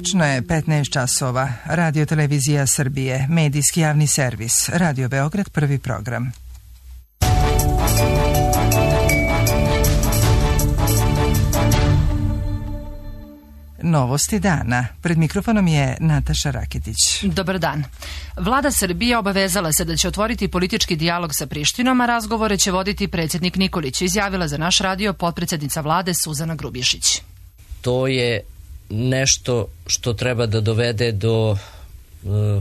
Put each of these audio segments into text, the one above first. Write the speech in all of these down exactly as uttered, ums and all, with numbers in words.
Tačno je petnaest časova. Radio Televizija Srbije, medijski javni servis, Radio Beograd, prvi program. Novosti dana. Pred mikrofonom je Nataša Raketić. Dobar dan. Vlada Srbije obavezala se da će otvoriti politički dijalog sa Prištinom, a razgovore će voditi predsjednik Nikolić, izjavila za naš radio potpredsjednica vlade Suzana Grubješić. To je nešto što treba da dovede do,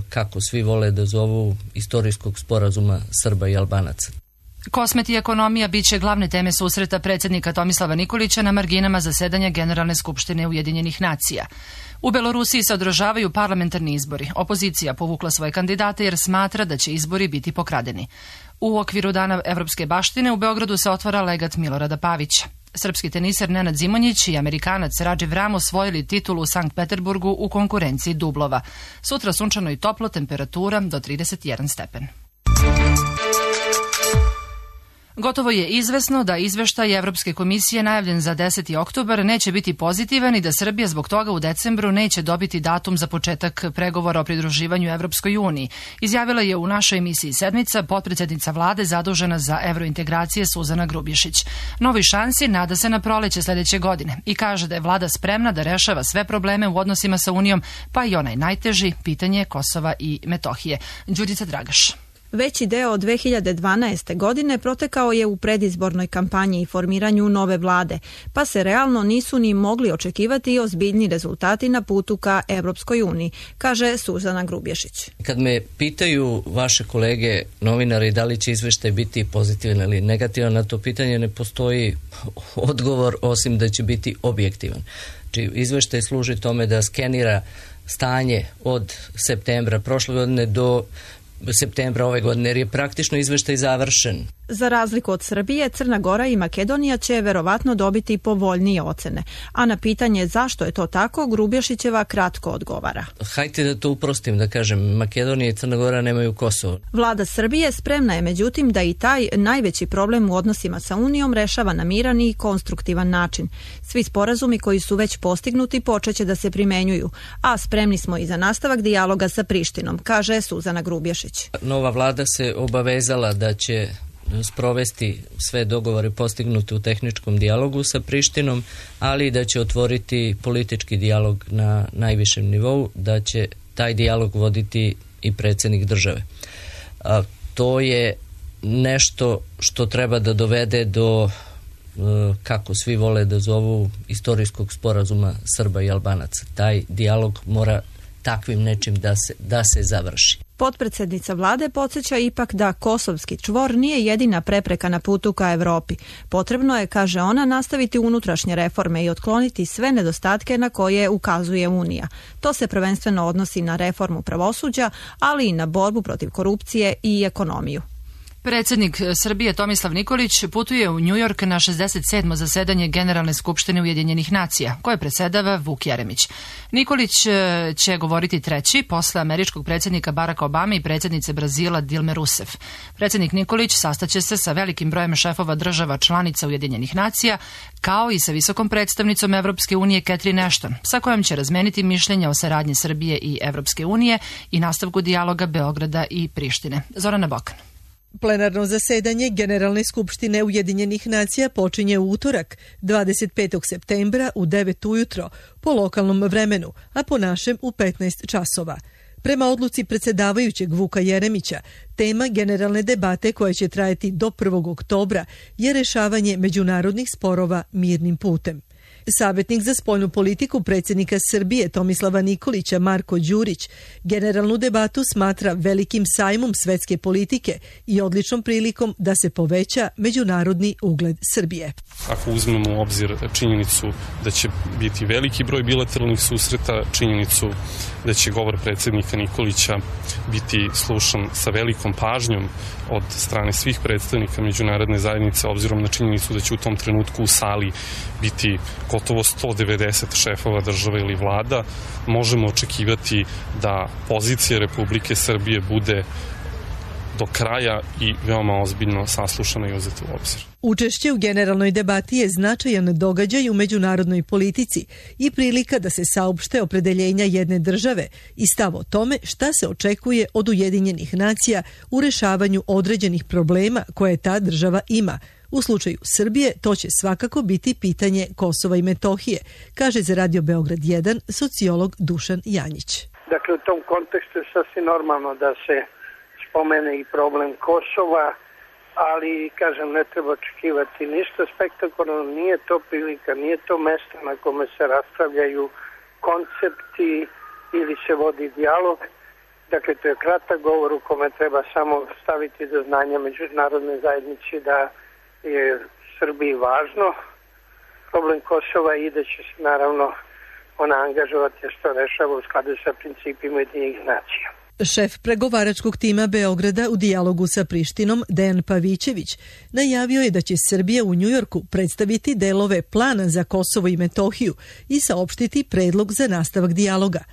kako svi vole da zovu, istorijskog sporazuma Srba i Albanaca. Kosmet i ekonomija bit će glavne teme susreta predsjednika Tomislava Nikolića na marginama zasedanja Generalne skupštine Ujedinjenih nacija. U Belorusiji se održavaju parlamentarni izbori. Opozicija povukla svoje kandidate jer smatra da će izbori biti pokradeni. U okviru Dana evropske baštine u Beogradu se otvara legat Milorada Pavića. Srpski teniser Nenad Zimonjić i Amerikanac Radživ Ram osvojili titulu u Sankt Peterburgu u konkurenciji dublova. Sutra sunčano i toplo, temperatura do trideset jedan stepen. Gotovo je izvesno da izveštaj Evropske komisije najavljen za deseti oktobar neće biti pozitivan i da Srbija zbog toga u decembru neće dobiti datum za početak pregovora o pridruživanju Evropskoj uniji, izjavila je u našoj emisiji Sedmica potpredsjednica vlade zadužena za evrointegracije Suzana Grubješić. Novi šansi nada se na proleće sljedeće godine i kaže da je vlada spremna da rešava sve probleme u odnosima sa Unijom, pa i onaj najteži, pitanje Kosova i Metohije. Đudica Dragaš. Veći deo od dve hiljade dvanaeste. godine protekao je u predizbornoj kampanji i formiranju nove vlade, pa se realno nisu ni mogli očekivati ozbiljni rezultati na putu ka Evropskoj uniji, kaže Suzana Grubješić. Kad me pitaju vaše kolege novinari da li će izveštaj biti pozitivan ili negativan, na to pitanje ne postoji odgovor osim da će biti objektivan. Znači, izveštaj služi tome da skenira stanje od septembra prošle godine do septembra ove godine, jer je praktično izveštaj završen. Za razliku od Srbije, Crna Gora i Makedonija će verovatno dobiti povoljnije ocene. A na pitanje zašto je to tako, Grubješićeva kratko odgovara. Hajde da to uprostim, da kažem, Makedonija i Crna Gora nemaju Kosovo. Vlada Srbije spremna je međutim da i taj najveći problem u odnosima sa Unijom rešava na miran i konstruktivan način. Svi sporazumi koji su već postignuti počeće da se primenjuju, a spremni smo i za nastavak dijaloga sa Prištinom, kaže Suzana Grubješić. Nova vlada se obavezala da će sprovesti sve dogovore postignute u tehničkom dijalogu sa Prištinom, ali da će otvoriti politički dijalog na najvišem nivou, da će taj dijalog voditi i predsjednik države. A, to je nešto što treba da dovede do, kako svi vole da zovu, istorijskog sporazuma Srba i Albanaca. Taj dijalog mora takvim nečim da se, da se završi. Potpredsjednica vlade podsjeća ipak da kosovski čvor nije jedina prepreka na putu ka Evropi. Potrebno je, kaže ona, nastaviti unutrašnje reforme i otkloniti sve nedostatke na koje ukazuje Unija. To se prvenstveno odnosi na reformu pravosuđa, ali i na borbu protiv korupcije i ekonomiju. Predsjednik Srbije Tomislav Nikolić putuje u New York na šezdeset sedmo zasedanje Generalne skupštine Ujedinjenih nacija, koje predsjedava Vuk Jeremić. Nikolić će govoriti treći posle američkog predsjednika Baracka Obame i predsjednice Brazila Dilme Rousseff. Predsjednik Nikolić sastaće se sa velikim brojem šefova država članica Ujedinjenih nacija, kao i sa visokom predstavnicom Evropske unije Catherine Ashton, sa kojom će razmeniti mišljenja o saradnji Srbije i Evropske unije i nastavku dijaloga Beograda i Prištine. Zorana Bokan. Plenarno zasedanje Generalne skupštine Ujedinjenih nacija počinje u utorak, dvadeset petog septembra u devet ujutro po lokalnom vremenu, a po našem u petnaest časova. Prema odluci predsjedavajućeg Vuka Jeremića, tema generalne debate koja će trajati do prvog oktobra je rešavanje međunarodnih sporova mirnim putem. Savjetnik za spoljnu politiku predsjednika Srbije Tomislava Nikolića Marko Đurić generalnu debatu smatra velikim sajmom svetske politike i odličnom prilikom da se poveća međunarodni ugled Srbije. Ako uzmemo u obzir činjenicu da će biti veliki broj bilateralnih susreta, činjenicu da će govor predsjednika Nikolića biti slušan sa velikom pažnjom od strane svih predstavnika međunarodne zajednice, obzirom na činjenicu da će u tom trenutku u sali biti gotovo sto devedeset šefova država ili vlada, možemo očekivati da pozicija Republike Srbije bude do kraja i veoma ozbiljno saslušana i uzeta u obzir. Učešće u generalnoj debati je značajan događaj u međunarodnoj politici i prilika da se saopšte opredeljenja jedne države i stav o tome šta se očekuje od Ujedinjenih nacija u rešavanju određenih problema koje ta država ima. U slučaju Srbije to će svakako biti pitanje Kosova i Metohije, kaže za Radio Beograd jedan sociolog Dušan Janjić. Dakle, u tom kontekstu je sasvim normalno da se spomene i problem Kosova, ali, kažem, ne treba očekivati ništa spektakularno, nije to prilika, nije to mesto na kome se raspravljaju koncepti ili se vodi dijalog. Dakle, to je kratak govor u kome treba samo staviti do znanja međunarodne zajednici da je Srbiji važno problem Kosova i da će se naravno ona angažovati što rešava u skladu sa principima Ujedinjenih nacija. Šef pregovaračkog tima Beograda u dijalogu sa Prištinom, Dejan Pavićević, najavio je da će Srbija u Njujorku predstaviti delove plana za Kosovo i Metohiju i saopštiti predlog za nastavak dijaloga.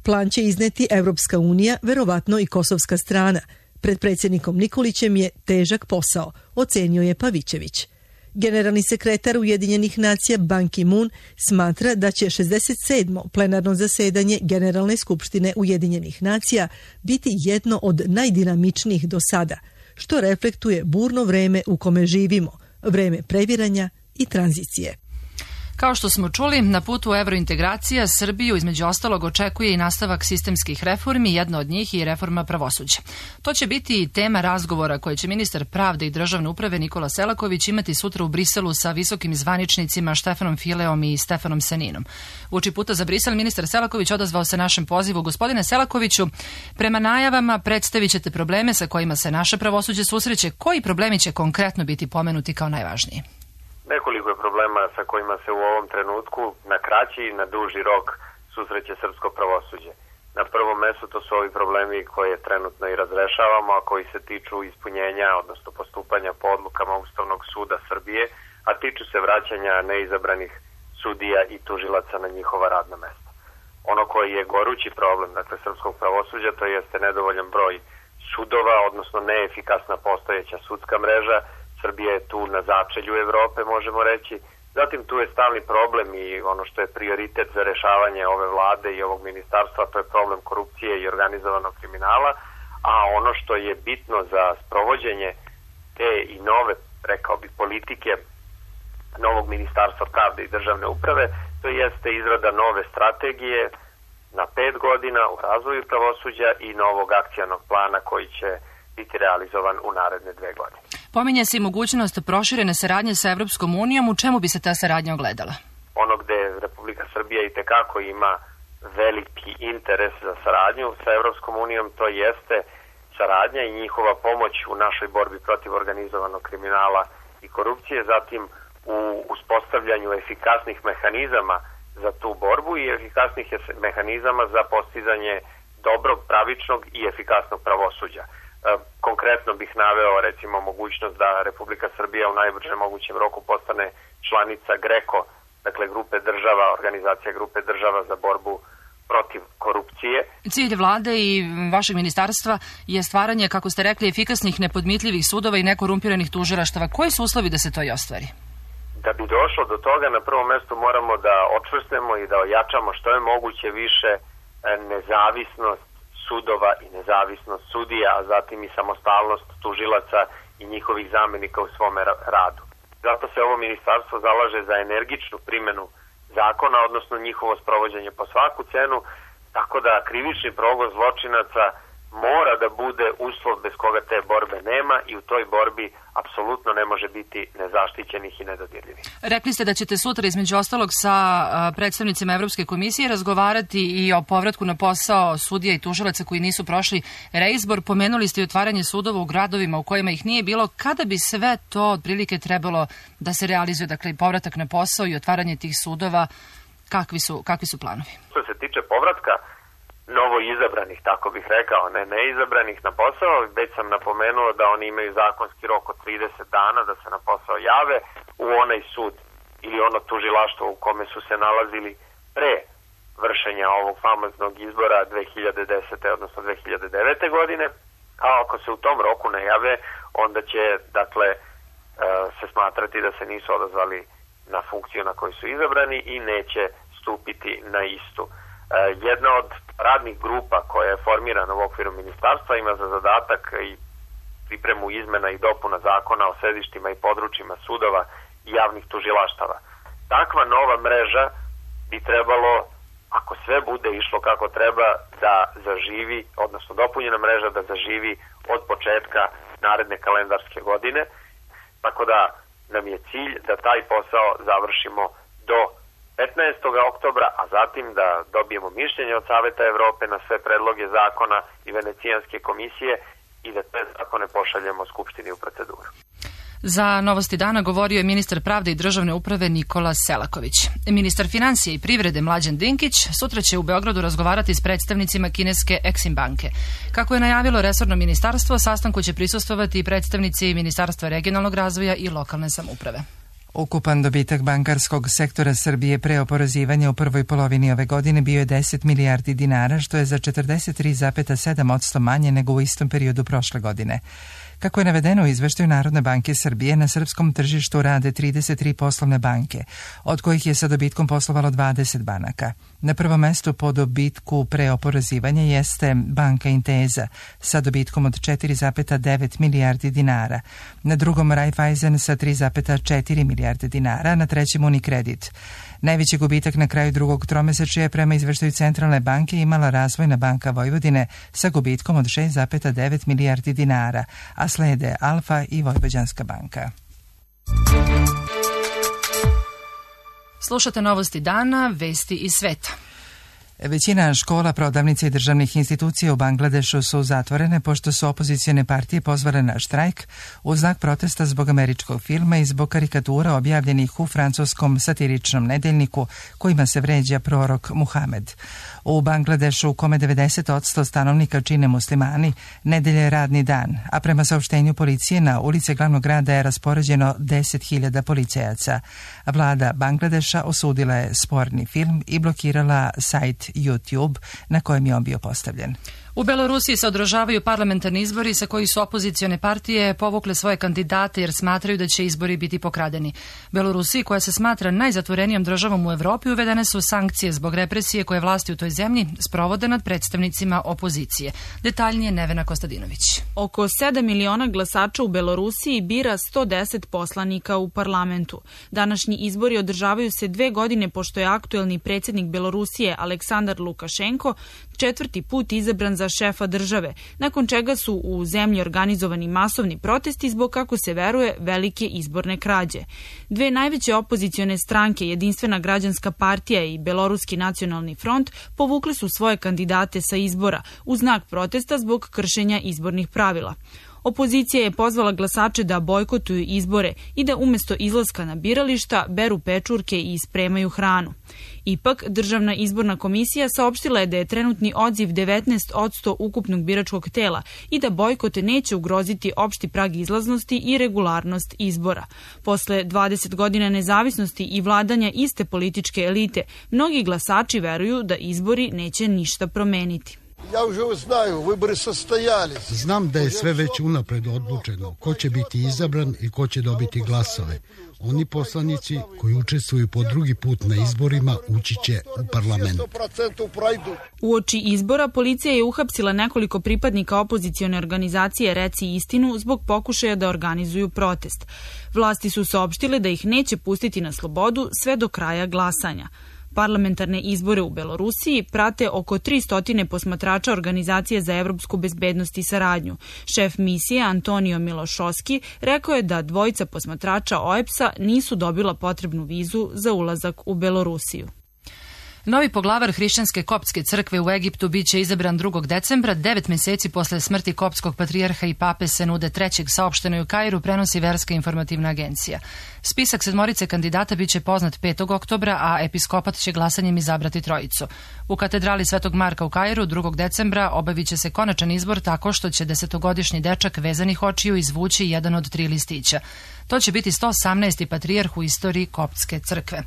Plan će izneti Evropska unija, verovatno i kosovska strana. Pred predsjednikom Nikolićem je težak posao, ocenio je Pavićević. Generalni sekretar Ujedinjenih nacija Ban Ki-moon smatra da će šezdeset sedmo plenarno zasedanje Generalne skupštine Ujedinjenih nacija biti jedno od najdinamičnijih do sada, što reflektuje burno vreme u kome živimo, vreme previranja i tranzicije. Kao što smo čuli, na putu evrointegracija Srbiju između ostalog očekuje i nastavak sistemskih reformi, jedna od njih i reforma pravosuđa. To će biti i tema razgovora koje će ministar pravde i državne uprave Nikola Selaković imati sutra u Briselu sa visokim zvaničnicima Štefanom Fileom i Stefanom Seninom. Uoči puta za Brisel ministar Selaković odazvao se našem pozivu. Gospodine Selakoviću, prema najavama predstavit ćete probleme sa kojima se naše pravosuđe susreće. Koji problemi će konkretno biti pomenuti kao najvažniji? Nekoliko je problema sa kojima se u ovom trenutku na kraći i na duži rok susreće srpsko pravosuđe. Na prvom mestu to su ovi problemi koje trenutno i razrešavamo, a koji se tiču ispunjenja, odnosno postupanja po odlukama Ustavnog suda Srbije, a tiču se vraćanja neizabranih sudija i tužilaca na njihova radna mesta. Ono koji je gorući problem, dakle, srpskog pravosuđa, to jeste nedovoljan broj sudova, odnosno neefikasna postojeća sudska mreža. Srbija je tu na začelju Evrope, možemo reći. Zatim tu je stalni problem i ono što je prioritet za rešavanje ove vlade i ovog ministarstva, to je problem korupcije i organizovanog kriminala, a ono što je bitno za sprovođenje te i nove, rekao bi, politike novog ministarstva pravde i državne uprave, to jeste izrada nove strategije na pet godina u razvoju pravosuđa i novog akcionog plana koji će biti realizovan u naredne dve godine. Pominje se i mogućnost proširene saradnje sa Evropskom unijom. U čemu bi se ta saradnja ogledala? Ono gde Republika Srbija i tekako ima veliki interes za saradnju sa Evropskom unijom, to jeste saradnja i njihova pomoć u našoj borbi protiv organizovanog kriminala i korupcije, zatim u uspostavljanju efikasnih mehanizama za tu borbu i efikasnih mehanizama za postizanje dobrog, pravičnog i efikasnog pravosuđa. Konkretno bih naveo recimo mogućnost da Republika Srbija u najbržem mogućem roku postane članica GRECO, dakle grupe država, organizacija grupe država za borbu protiv korupcije. Cilj vlade i vašeg ministarstva je stvaranje, kako ste rekli, efikasnih, nepodmitljivih sudova i nekorumpiranih tužilaštava. Koji su uslovi da se to i ostvari? Da bi došlo do toga, na prvom mestu moramo da očvrstnemo i da ojačamo što je moguće više nezavisnost sudova i nezavisnost sudija, a zatim i samostalnost tužilaca i njihovih zamenika u svome radu. Zato se ovo ministarstvo zalaže za energičnu primjenu zakona, odnosno njihovo sprovođenje po svaku cenu, tako da krivični progon zločinaca mora da bude uslov bez koga te borbe nema i u toj borbi apsolutno ne može biti nezaštićenih i nedodirljivih. Rekli ste da ćete sutra između ostalog sa predstavnicima Evropske komisije razgovarati i o povratku na posao sudija i tužilaca koji nisu prošli reizbor. Pomenuli ste i otvaranje sudova u gradovima u kojima ih nije bilo. Kada bi sve to otprilike trebalo da se realizuje, dakle i povratak na posao i otvaranje tih sudova, kakvi su, kakvi su planovi? Što se tiče povratka novo izabranih, tako bih rekao, ne neizabranih na posao, već sam napomenuo da oni imaju zakonski rok od trideset dana da se na posao jave u onaj sud ili ono tužilaštvo u kome su se nalazili pre vršenja ovog famoznog izbora dve hiljade desete. odnosno dve hiljade devete. godine. a ako se u tom roku ne jave, onda će, dakle, se smatrati da se nisu odazvali na funkciju na koju su izabrani i neće stupiti na istu. Jedna od radnih grupa koja je formirana u okviru ministarstva ima za zadatak i pripremu izmena i dopuna zakona o sedištima i područjima sudova i javnih tužilaštava. Takva nova mreža bi trebalo, ako sve bude išlo kako treba, da zaživi, odnosno dopunjena mreža da zaživi od početka naredne kalendarske godine, tako da nam je cilj da taj posao završimo do petnaestog oktobra, a zatim da dobijemo mišljenje od Saveta Evrope na sve predloge zakona i Venecijanske komisije i da te zakone pošaljemo Skupštini u proceduru. Za Novosti dana govorio je ministar pravde i državne uprave Nikola Selaković. Ministar financije i privrede Mlađan Dinkić sutra će u Beogradu razgovarati s predstavnicima kineske Exim banke. Kako je najavilo resorno ministarstvo, sastanku će prisustvovati i predstavnici Ministarstva regionalnog razvoja i lokalne samouprave. Ukupan dobitak bankarskog sektora Srbije pre oporezivanja u prvoj polovini ove godine bio je deset milijardi dinara, što je za četrdeset tri zarez sedam posto manje nego u istom periodu prošle godine. Kako je navedeno u izveštaju Narodne banke Srbije, na srpskom tržištu rade trideset tri poslovne banke, od kojih je sa dobitkom poslovalo dvadeset banaka. Na prvom mestu po dobitku pre oporezivanja jeste banka Inteza sa dobitkom od četiri zarez devet milijardi dinara, na drugom Raiffeisen sa tri zarez četiri milijarde dinara, na trećem Unicredit. Najveći gubitak na kraju drugog tromesečja je prema izveštaju Centralne banke imala Razvojna banka Vojvodine sa gubitkom od šest zarez devet milijardi dinara, a slede Alfa i Vojvođanska banka. Slušate Novosti dana, vesti iz sveta. Većina škola, prodavnica i državnih institucija u Bangladešu su zatvorene pošto su opozicione partije pozvale na štrajk u znak protesta zbog američkog filma i zbog karikatura objavljenih u francuskom satiričnom nedeljniku kojima se vređa prorok Muhamed. U Bangladešu, u kome devedeset posto stanovnika čine muslimani, nedelja je radni dan, a prema saopštenju policije na ulice glavnog grada je raspoređeno deset hiljada policajaca. Vlada Bangladeša osudila je sporni film i blokirala sajt YouTube na kojem je on bio postavljen. U Belorusiji se održavaju parlamentarni izbori sa koji su opozicione partije povukle svoje kandidate jer smatraju da će izbori biti pokradeni. Belorusiji, koja se smatra najzatvorenijom državom u Evropi, uvedene su sankcije zbog represije koje vlasti u toj zemlji sprovode nad predstavnicima opozicije. Detaljnije Nevena Kostadinović. Oko sedam miliona glasača u Belorusiji bira sto deset poslanika u parlamentu. Današnji izbori održavaju se dve godine pošto je aktuelni predsjednik Belorusije Aleksandar Lukašenko četvrti put izabran za šefa države, nakon čega su u zemlji organizovani masovni protesti zbog, kako se veruje, velike izborne krađe. Dve najveće opozicione stranke, Jedinstvena građanska partija i Beloruski nacionalni front, povukli su svoje kandidate sa izbora u znak protesta zbog kršenja izbornih pravila. Opozicija je pozvala glasače da bojkotuju izbore i da umjesto izlaska na birališta beru pečurke i spremaju hranu. Ipak, Državna izborna komisija saopštila je da je trenutni odziv devetnaest posto ukupnog biračkog tela i da bojkot neće ugroziti opšti prag izlaznosti i regularnost izbora. Posle dvadeset godina nezavisnosti i vladanja iste političke elite, mnogi glasači veruju da izbori neće ništa promeniti. Znam da je sve već unapred odlučeno ko će biti izabran i ko će dobiti glasove. Oni poslanici koji učestvuju po drugi put na izborima ući će u parlament. Uoči izbora policija je uhapsila nekoliko pripadnika opozicione organizacije Reci istinu zbog pokušaja da organizuju protest. Vlasti su saopštile da ih neće pustiti na slobodu sve do kraja glasanja. Parlamentarne izbore u Belorusiji prate oko tristo posmatrača Organizacije za evropsku bezbednost i saradnju. Šef misije Antonio Milošovski rekao je da dvojica posmatrača O E B S-a nisu dobila potrebnu vizu za ulazak u Belorusiju. Novi poglavar hrišćanske koptske crkve u Egiptu biće izabran drugog decembra, devet meseci posle smrti koptskog patrijarha i pape se nude trećeg, saopšteno u Kairu, prenosi Verska informativna agencija. Spisak sedmorice kandidata biće poznat petog oktobra, a episkopat će glasanjem izabrati trojicu. U katedrali Svetog Marka u Kairu drugog decembra obavit će se konačan izbor tako što će desetogodišnji dečak vezanih očiju izvući jedan od tri listića. To će biti sto osamnaesti patrijarh u istoriji koptske crkve.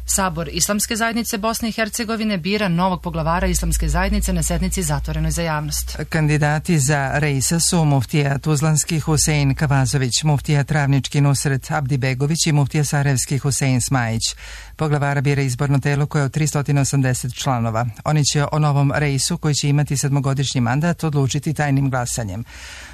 Sabor Islamske zajednice Bosne i Hercegovine bira novog poglavara Islamske zajednice na sednici zatvorenoj za javnost. Kandidati za Reisa su muftija Tuzlanski Husein Kavazović, muftija Travnički Nusret Abdibegović i muftija Sarajevski Husein Smajić. Poglavara bira izborno telo koje je od tristo osamdeset članova. Oni će o novom Reisu, koji će imati sedmogodišnji mandat, odlučiti tajnim glasanjem.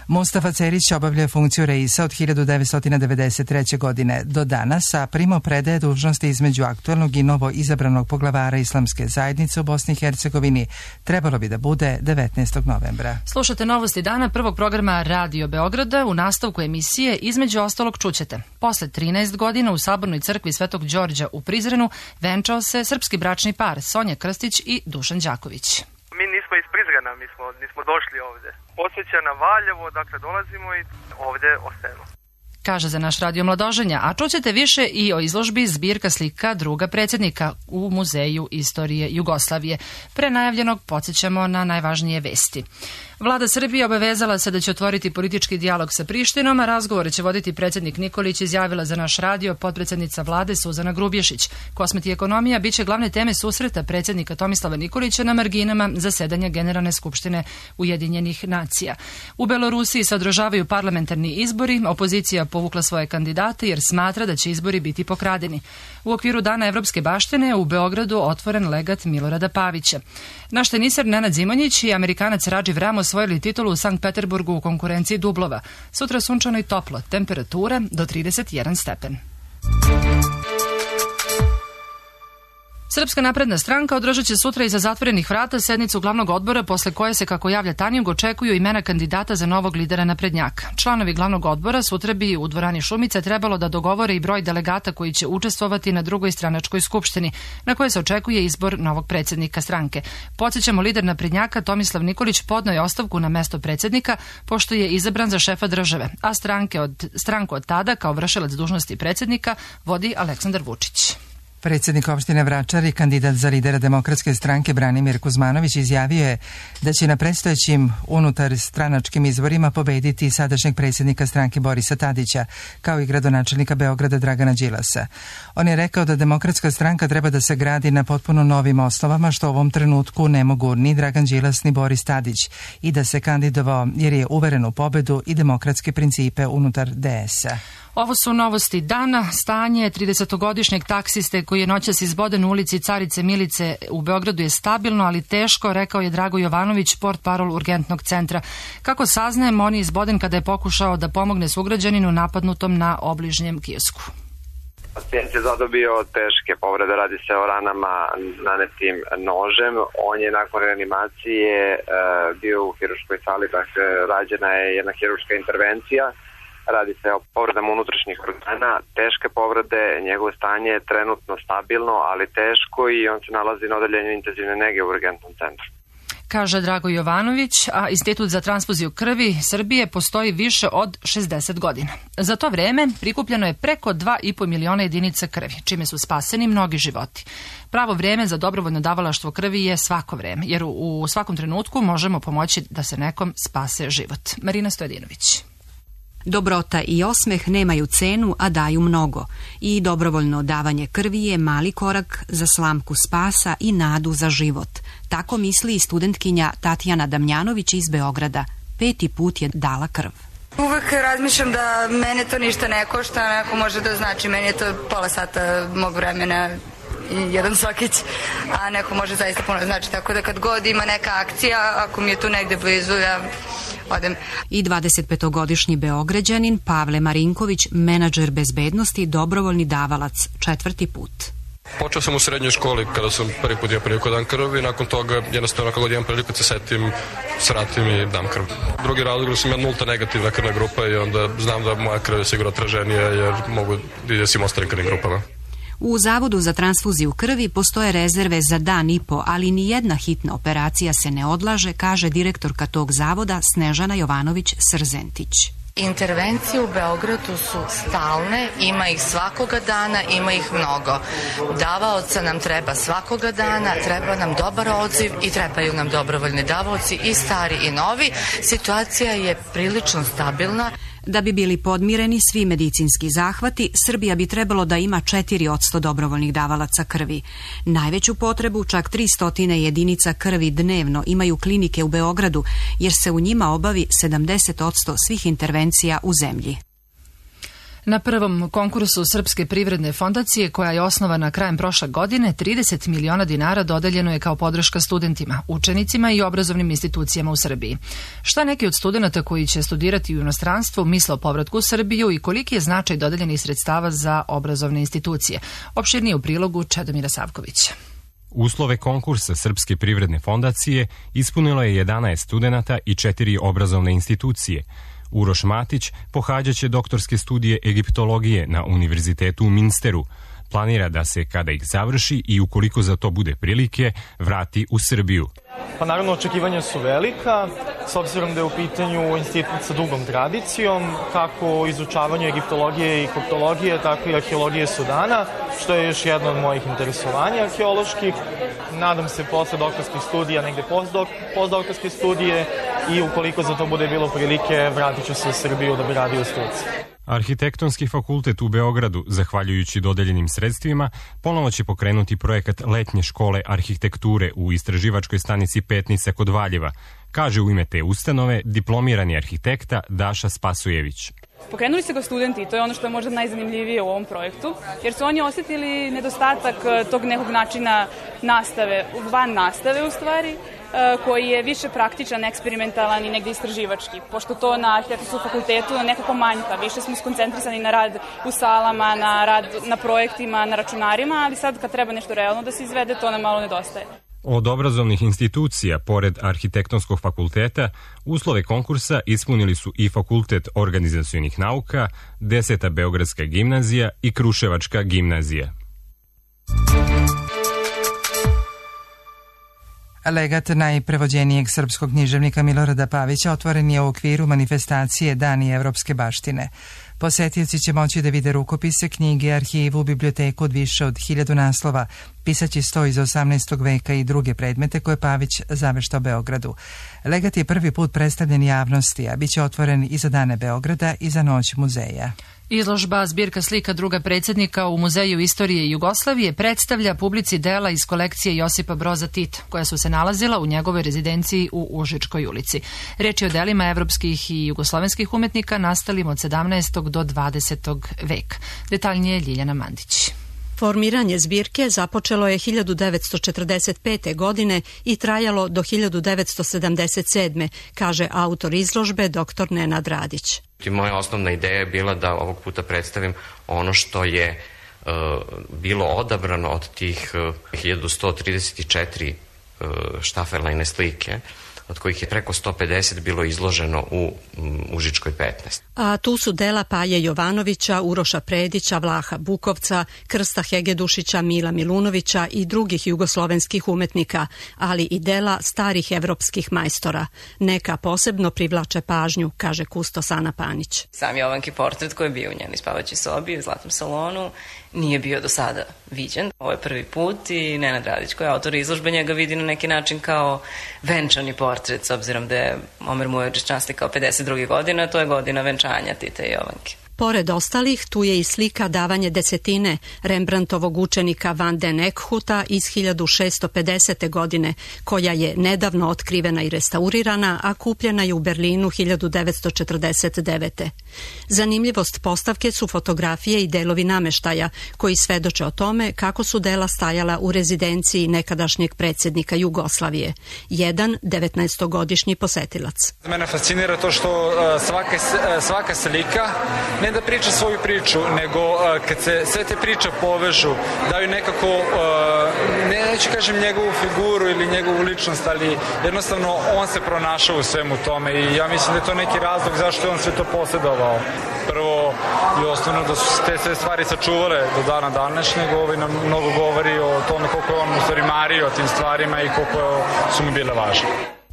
Mustafa Cerić obavlja funkciju Reisa od hiljadu devetsto devedeset treće. godine do danas, a primo predaje dužnosti između aktualnog i novo izabranog poglavara Islamske zajednice u Bosni i Hercegovini trebalo bi da bude devetnaestog novembra. Slušate novosti dana prvog programa Radio Beograda. U nastavku emisije između ostalog čućete. Posle trinaest godina u Sabornoj crkvi Svetog Đorđa u Prizrenu venčao se srpski bračni par Sonja Krstić i Dušan Đaković. Mi nismo iz Prizrena, mi smo, nismo došli ovde. Podsjeća na Valjevo, dakle dolazimo i ovde ostajemo. Kaže za naš radio Mladoženja, a čućete više i o izložbi zbirka slika druga predsjednika u Muzeju istorije Jugoslavije. Pre najavljenog podsjećamo na najvažnije vesti. Vlada Srbije obavezala se da će otvoriti politički dijalog sa Prištinom, a razgovore će voditi predsjednik Nikolić, izjavila za naš radio potpredsjednica vlade Suzana Grubješić. Kosmet i ekonomija biće glavne teme susreta predsjednika Tomislava Nikolića na marginama zasedanja Generalne skupštine Ujedinjenih nacija. U Belorusiji se održavaju parlamentarni izbori, opozicija povukla svoje kandidate jer smatra da će izbori biti pokradeni. U okviru Dana evropske baštine u Beogradu otvoren legat Milorada Pavića. Naš teniser Nenad Zimonjić i Amerikanac Radživ Ramos osvojili titulu u Sankt Peterburgu u konkurenciji dublova. Sutra sunčano i toplo, temperatura do trideset jedan stepen. Srpska napredna stranka održat će sutra iza zatvorenih vrata sednicu glavnog odbora, posle koje se, kako javlja Tanjug, očekuju imena kandidata za novog lidera naprednjaka. Članovi glavnog odbora sutra bi u dvorani Šumice trebalo da dogovore i broj delegata koji će učestvovati na drugoj stranačkoj skupštini, na kojoj se očekuje izbor novog predsjednika stranke. Podsjećamo, lider naprednjaka Tomislav Nikolić podneo je ostavku na mesto predsjednika, pošto je izabran za šefa države, a stranke od, stranku od tada, kao vršilac dužnosti predsjednika, vodi Aleksandar Vučić. Predsjednik opštine Vračar i kandidat za lidera Demokratske stranke Branimir Kuzmanović izjavio je da će na predstojećim unutar stranačkim izborima pobediti sadašnjeg predsjednika stranke Borisa Tadića, kao i gradonačelnika Beograda Dragana Đilasa. On je rekao da Demokratska stranka treba da se gradi na potpuno novim osnovama, što u ovom trenutku ne mogu ni Dragan Đilas ni Boris Tadić, i da se kandidovao jer je uveren u pobedu i demokratske principe unutar D S-a. Ovo su novosti dana. Stanje tridesetogodišnjeg taksiste koji je noćas izboden u ulici Carice Milice u Beogradu je stabilno, ali teško, rekao je Drago Jovanović, portparol urgentnog centra. Kako saznajemo, on je izboden kada je pokušao da pomogne sugrađaninu napadnutom na obližnjem kiosku. Pacijent je zadobio teške povrede, radi se o ranama nanetim nožem. On je nakon reanimacije e, bio u hirurškoj sali, dakle rađena je jedna hirurška intervencija. Radi se o povredama unutrašnjih organa, teške povrede, njegovo stanje je trenutno stabilno, ali teško, i on se nalazi na odeljenju intenzivne nege u urgentnom centru. Kaže Drago Jovanović, a Institut za transfuziju krvi Srbije postoji više od šezdeset godina. Za to vreme prikupljeno je preko dva i po miliona jedinica krvi, čime su spaseni mnogi životi. Pravo vreme za dobrovoljno davalaštvo krvi je svako vreme, jer u svakom trenutku možemo pomoći da se nekom spase život. Marina Stojedinović. Dobrota i osmeh nemaju cenu, a daju mnogo. I dobrovoljno davanje krvi je mali korak za slamku spasa i nadu za život. Tako misli i studentkinja Tatjana Damjanović iz Beograda. Peti put je dala krv. Uvek razmišljam da mene to ništa ne košta, neko može da znači, meni je to pola sata mog vremena i jedan sokić, a neko može zaista puno znači, tako da kad god ima neka akcija, ako mi je tu negde blizu, ja odem. I dvadesetpetogodišnji Beograđanin Pavle Marinković, menadžer bezbednosti, dobrovoljni davalac, četvrti put. Počeo sam u srednjoj školi kada sam prvi put imao priliku dan krv i nakon toga jednostavno kako god imam priliku se setim, sratim i dam krv. Drugi razlog da sam ja nulta negativna krvna grupa i onda znam da moja krv je sigurno traženija jer mogu da ide svim ostalim krvnim grupama. U Zavodu za transfuziju krvi postoje rezerve za dan i po, ali ni jedna hitna operacija se ne odlaže, kaže direktorka tog zavoda Snežana Jovanović-Srzentić. Intervencije u Beogradu su stalne, ima ih svakoga dana, ima ih mnogo. Davaoca nam treba svakoga dana, treba nam dobar odziv i trebaju nam dobrovoljni davaoci i stari i novi. Situacija je prilično stabilna. Da bi bili podmireni svi medicinski zahvati, Srbija bi trebalo da ima četiri posto dobrovoljnih davalaca krvi. Najveću potrebu, čak tristo jedinica krvi dnevno, imaju klinike u Beogradu, jer se u njima obavi sedamdeset posto svih intervencija u zemlji. Na prvom konkursu Srpske privredne fondacije, koja je osnovana krajem prošle godine, trideset miliona dinara dodeljeno je kao podrška studentima, učenicima i obrazovnim institucijama u Srbiji. Šta neki od studenata koji će studirati u inostranstvu misle o povratku u Srbiju i koliki je značaj dodeljenih sredstava za obrazovne institucije? Opširnije u prilogu Čedomira Savkovića. Uslove konkursa Srpske privredne fondacije ispunilo je jedanaest studenata i četiri obrazovne institucije. Uroš Matić pohađaće doktorske studije egiptologije na Univerzitetu u Minsteru. Planira da se, kada ih završi i ukoliko za to bude prilike, vrati u Srbiju. Pa naravno, očekivanja su velika, s obzirom da je u pitanju institut sa dugom tradicijom, kako izučavanju egiptologije i koptologije, tako i arheologije Sudana, što je još jedno od mojih interesovanja arheoloških. Nadam se posle doktorskih studija, negde postdok, postdoktorske studije, i ukoliko za to bude bilo prilike, vratit ću se u Srbiju da bi radio u struci. Arhitektonski fakultet u Beogradu, zahvaljujući dodeljenim sredstvima, ponovo će pokrenuti projekat letnje škole arhitekture u istraživačkoj stanici Petnica kod Valjeva, kaže u ime te ustanove diplomirani arhitekta Daša Spasojević. Pokrenuli se ga studenti i to je ono što je možda najzanimljivije u ovom projektu, jer su oni osjetili nedostatak tog nekog načina nastave, van nastave u stvari, koji je više praktičan, eksperimentalan i negde istraživački. Pošto to na arhitektonskom fakultetu nekako manjka, više smo skoncentrisani na rad u salama, na rad na projektima, na računarima, ali sad kad treba nešto realno da se izvede, to nam malo nedostaje. Od obrazovnih institucija, pored Arhitektonskog fakulteta, uslove konkursa ispunili su i Fakultet organizacionih nauka, Deseta Beogradska gimnazija i Kruševačka gimnazija. Legat najprevođenijeg srpskog književnika Milorada Pavića otvoren je u okviru manifestacije Dani evropske baštine. Posetioci će moći da vide rukopise, knjige, arhivu, biblioteku od više od hiljadu naslova, pisaći sto iz osamnaestog veka i druge predmete koje Pavić zaveštao Beogradu. Legat je prvi put predstavljen javnosti, a bit će otvoren i za dane Beograda i za noć muzeja. Izložba zbirka slika druga predsjednika u Muzeju istorije Jugoslavije predstavlja publici dela iz kolekcije Josipa Broza Tita, koja su se nalazila u njegovoj rezidenciji u Užičkoj ulici. Reč je o delima evropskih i jugoslovenskih umetnika nastalim od sedamnaestog do dvadesetog veka. Detaljnije Ljiljana Mandić. Formiranje zbirke započelo je hiljadu devetsto četrdeset pete. godine i trajalo do hiljadu devetsto sedamdeset sedme. kaže autor izložbe doktor Nenad Radić. Moja osnovna ideja je bila da ovog puta predstavim ono što je uh, bilo odabrano od tih uh, hiljadu sto trideset četiri uh, štaferlajne slike, od kojih je preko sto pedeset bilo izloženo u um, Užičkoj petnaest. A tu su dela Paje Jovanovića, Uroša Predića, Vlaha Bukovca, Krsta Hegedušića, Mila Milunovića i drugih jugoslovenskih umetnika, ali i dela starih evropskih majstora. Neka posebno privlače pažnju, kaže kustos Ana Panić. Sam Jovanki portret koji je bio u njenoj spavaćoj sobi u Zlatnom salonu nije bio do sada viđen. Ovo je prvi put i Nenad Radić, koji je autor izložbe, njega vidi na neki način kao venčani portret, s obzirom da je Omer Mujović častikao pedeset druge godine, to je godina venčanja Tita i Jovanke. Pored ostalih, tu je i slika Davanje desetine Rembrandtovog učenika Van den Eekhuta iz hiljadu šesto pedesete. godine, koja je nedavno otkrivena i restaurirana, a kupljena je u Berlinu hiljadu devetsto četrdeset devete. Zanimljivost postavke su fotografije i delovi nameštaja, koji svedoče o tome kako su dela stajala u rezidenciji nekadašnjeg predsjednika Jugoslavije. Jedan devetnaestogodišnji posetilac. Mene fascinira to što uh, svaka, uh, svaka slika ne da priča svoju priču, nego uh, kad se sve te priče povežu, daju nekako, uh, ne, neću kažem njegovu figuru ili njegovu ličnost, ali jednostavno on se pronašao u svemu tome i ja mislim da je to neki razlog zašto je on sve to posjedovao. Prvo i osnovno da su te sve stvari sačuvale do dana današnjeg, ovaj nam mnogo govori o tome koliko je on u stvari mario tim stvarima i koliko su mu bile važne.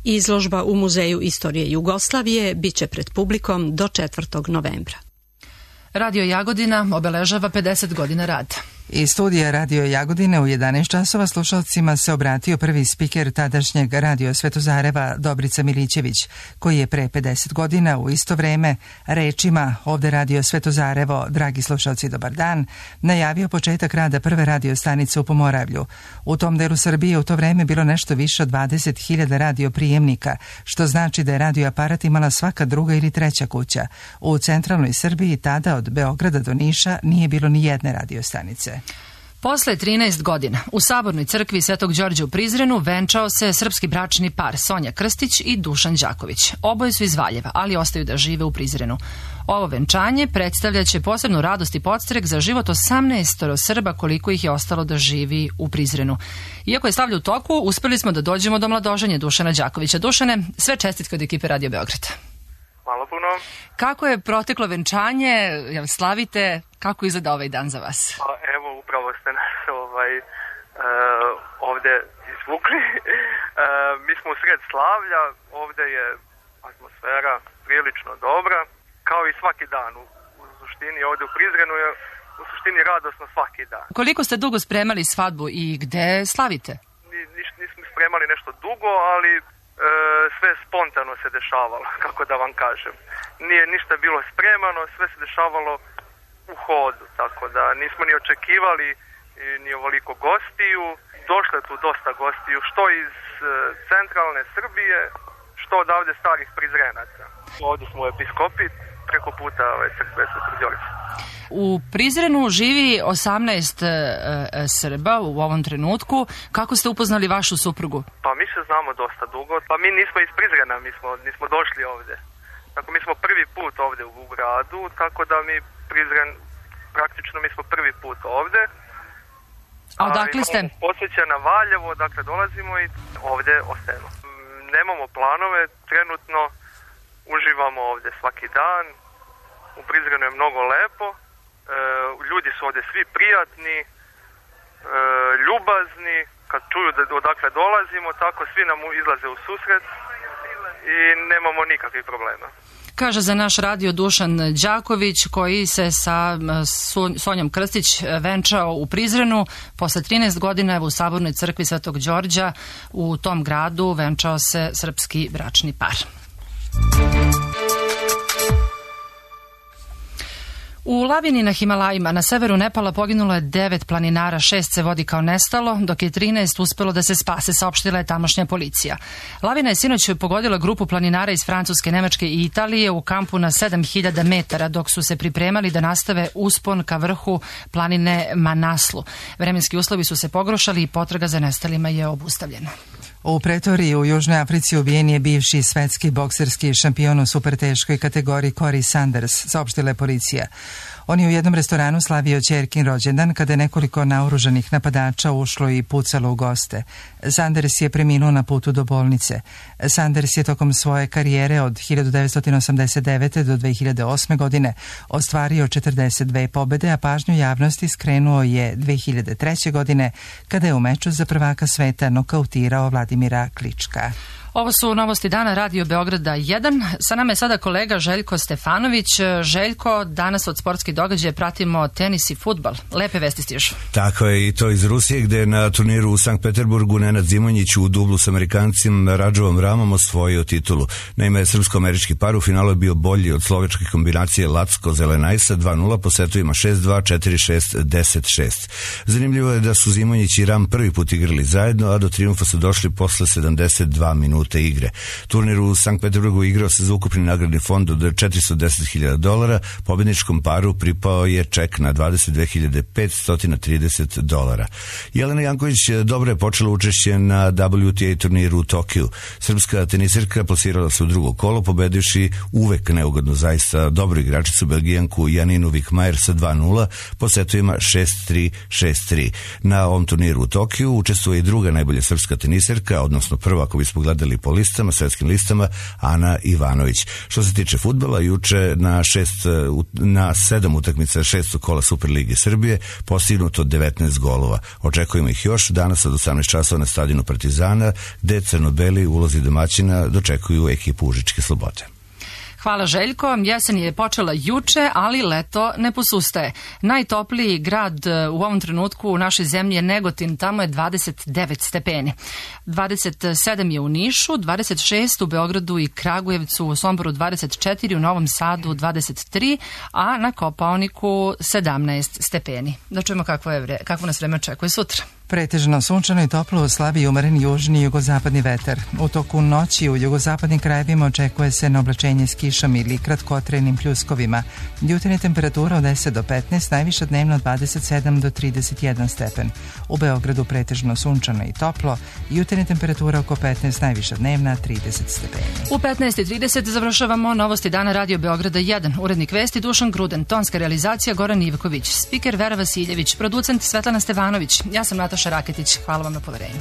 Izložba u Muzeju istorije Jugoslavije biće pred publikom do četvrtog novembra. Radio Jagodina obeležava pedeset godina rada. Iz studija Radio Jagodine u jedanaest časova slušalcima se obratio prvi spiker tadašnjeg Radio Svetozareva Dobrica Milićević, koji je pre pedeset godina u isto vreme rečima ovde Radio Svetozarevo, dragi slušalci, dobar dan, najavio početak rada prve radio stanice u Pomoravlju. U tom delu Srbije u to vreme bilo nešto više od dvadeset hiljada radio prijemnika, što znači da je radio aparat imala svaka druga ili treća kuća. U centralnoj Srbiji tada od Beograda do Niša nije bilo ni jedne radio stanice. Posle trinaest godina u Sabornoj crkvi Svetog Đorđa u Prizrenu venčao se srpski bračni par Sonja Krstić i Dušan Đaković. Oboje su iz Valjeva, ali ostaju da žive u Prizrenu. Ovo venčanje predstavljaće posebnu radost i podstrek za život osamnaest Srba koliko ih je ostalo da živi u Prizrenu. Iako je slavlje u toku, uspeli smo da dođemo do mladoženja Dušana Đakovića. Dušane, sve čestitke od ekipe Radio Beograda. Hvala puno. Kako je proteklo venčanje? Jel slavite? Kako izgleda ovaj dan za vas? Pa, evo, upravo ste nas ovaj, uh, ovde izvukli. Uh, mi smo u sred slavlja, ovde je atmosfera prilično dobra, kao i svaki dan. U, u suštini ovde u Prizrenu je u suštini radosno svaki dan. Koliko ste dugo spremali svadbu i gde slavite? Ni, niš, nismo spremali nešto dugo, ali e, sve spontano se dešavalo, kako da vam kažem. Nije ništa bilo spremano, sve se dešavalo u hodu, tako da nismo ni očekivali ni ovoliko gostiju. Došlo je tu dosta gostiju, što iz e, centralne Srbije, što odavde starih Prizrenaca. Ovdje smo u episkopi, preko puta ove crkve Svetog Đorđa. U Prizrenu živi osamnaest e, e, Srba u ovom trenutku. Kako ste upoznali vašu suprugu? Pa mi se znamo dosta dugo. Pa mi nismo iz Prizrena, mi smo, nismo došli ovde. Tako mi smo prvi put ovde u gradu, tako da mi Prizren, praktično mi smo prvi put ovde. A odakle ste? Podsjeća na Valjevo, dakle dolazimo i ovde ostajemo. Nemamo planove, trenutno uživamo ovde svaki dan. U Prizrenu je mnogo lepo. E, ljudi su ovde svi prijatni, e, ljubazni. Kad čuju da odakle dolazimo, tako svi nam izlaze u susret i nemamo nikakvih problema. Kaže za naš radio Dušan Đaković, koji se sa Sonjom Krstić venčao u Prizrenu. Posle trinaest godina u Sabornoj crkvi Svetog Đorđa u tom gradu venčao se srpski bračni par. U lavini na Himalajima na severu Nepala poginulo je devet planinara, šest se vodi kao nestalo, dok je trinaest uspelo da se spase, saopštila je tamošnja policija. Lavina je sinoć pogodila grupu planinara iz Francuske, Nemačke i Italije u kampu na sedam hiljada metara, dok su se pripremali da nastave uspon ka vrhu planine Manaslu. Vremenski uslovi su se pogoršali i potraga za nestalima je obustavljena. U Pretoriji u Južnoj Africi ubijen je bivši svetski bokserski šampion u superteškoj kategoriji Corey Sanders, saopštila je policija. On je u jednom restoranu slavio ćerkin rođendan kada je nekoliko naoružanih napadača ušlo i pucalo u goste. Sanders je preminuo na putu do bolnice. Sanders je tokom svoje karijere od hiljadu devetsto osamdeset devete. do dve hiljade osme. godine ostvario četrdeset dve pobede, a pažnju javnosti skrenuo je dve hiljade treće. godine kada je u meču za prvaka sveta nokautirao Vladimira Klička. Ovo su novosti dana Radio Beograda jedan. Sa nama je sada kolega Željko Stefanović. Željko, danas od sportskih događaja pratimo tenis i fudbal. Lepe vesti stižu. Tako je, i to iz Rusije, gde je na turniru u Sankt Peterburgu Nenad Zimonjić u dublu s Amerikancem Radžovom Ramom osvojio titulu. Naime, srpsko-američki par u finalu je bio bolji od slovačke kombinacije Lacko-Zelenajsa dva nula po setovima šest dva, četiri šest, deset šest. Zanimljivo je da su Zimonjić i Ram prvi put igrali zajedno, a do trijumfa su došli posle sedamdeset dva minuta igre. Turnir u Sankt Peterburgu igrao se za ukupni nagradni fond od četiristo deset hiljada dolara, pobedničkom paru pripao je ček na dvadeset dve hiljade petsto trideset dolara. Jelena Janković dobro je počela učešće na W T A turniru u Tokiju. Srpska tenisirka plasirala se u drugo kolo, pobedivši uvek neugodno zaista dobru igračicu Belgijanku Janinu Vikmajer sa dva nula po setovima šest tri, šest tri. Na ovom turniru u Tokiju učestvuje i druga najbolja srpska tenisirka, odnosno prva ako bismo gledali po listama, svetskim listama, Ana Ivanović. Što se tiče fudbala, juče na, šest, na sedam utakmica šestog kola Superlige Srbije postignuto devetnaest golova. Očekujemo ih još danas od osamnaest časova na stadionu Partizana, gde crno-beli u ulozi domaćina dočekuju ekipu Užičke Slobode. Hvala Željko. Jesen je počela juče, ali leto ne posustaje. Najtopliji grad u ovom trenutku u našoj zemlji je Negotin, tamo je dvadeset devet stepeni. dvadeset sedam je u Nišu, dvadeset šest u Beogradu i Kragujevcu, u Somboru dvadeset četiri, u Novom Sadu dvadeset tri, a na Kopaoniku sedamnaest stepeni. Da čujemo kakvo, je vre, kakvo nas vreme očekuje sutra. Pretežno sunčano i toplo, slabi umeren južni i jugozapadni vetar. U toku noći u jugozapadnim krajevima očekuje se na oblačenje s kišom ili kratkotrenim pljuskovima. Jutarnja temperatura od deset do petnaest, najviša dnevno od dvadeset sedam do trideset jedan stepen. U Beogradu pretežno sunčano i toplo, jutarnja temperatura oko petnaest, najviša dnevna trideset stepeni. U petnaest i trideset završavamo novosti dana Radio Beograda jedan. Urednik vesti Dušan Gruden, tonska realizacija Goran Ivković, spiker Vera Vasiljević, producent Svetlana Stevanović. Ja sam Nataša Raketić. Hvala vam na poverenju.